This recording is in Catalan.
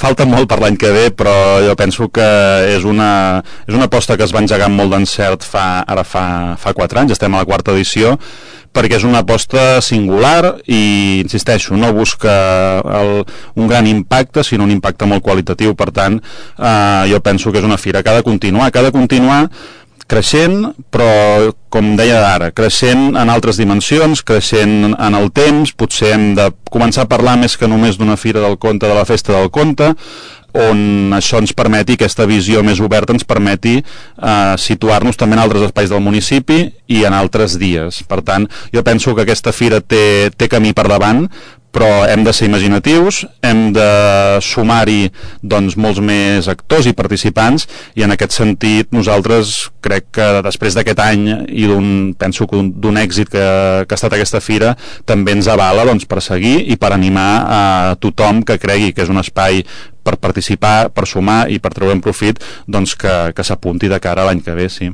falta molt per l'any que ve, però jo penso que és una aposta que es va engegar amb molt d'encert fa 4 anys, estem a la 4ª edició, perquè és una aposta singular i, insisteixo, no busca un gran impacte, sinó un impacte molt qualitatiu. Per tant, jo penso que és una fira que ha de continuar creixent, però, com deia ara, creixent en altres dimensions, creixent en el temps. Potser hem de començar a parlar més que només d'una fira del conte, de la festa del conte, on això ens permeti, aquesta visió més oberta ens permeti situar-nos també en altres espais del municipi i en altres dies. Per tant, jo penso que aquesta fira té camí per davant, però hem de ser imaginatius, hem de sumar-hi doncs molts més actors i participants, i en aquest sentit nosaltres crec que després d'aquest any i penso que d'un èxit que ha estat aquesta fira, també ens avala doncs, per seguir i per animar a tothom que cregui que és un espai per participar, per sumar i per treure'n profit, doncs que s'apunti de cara a l'any que ve, sí.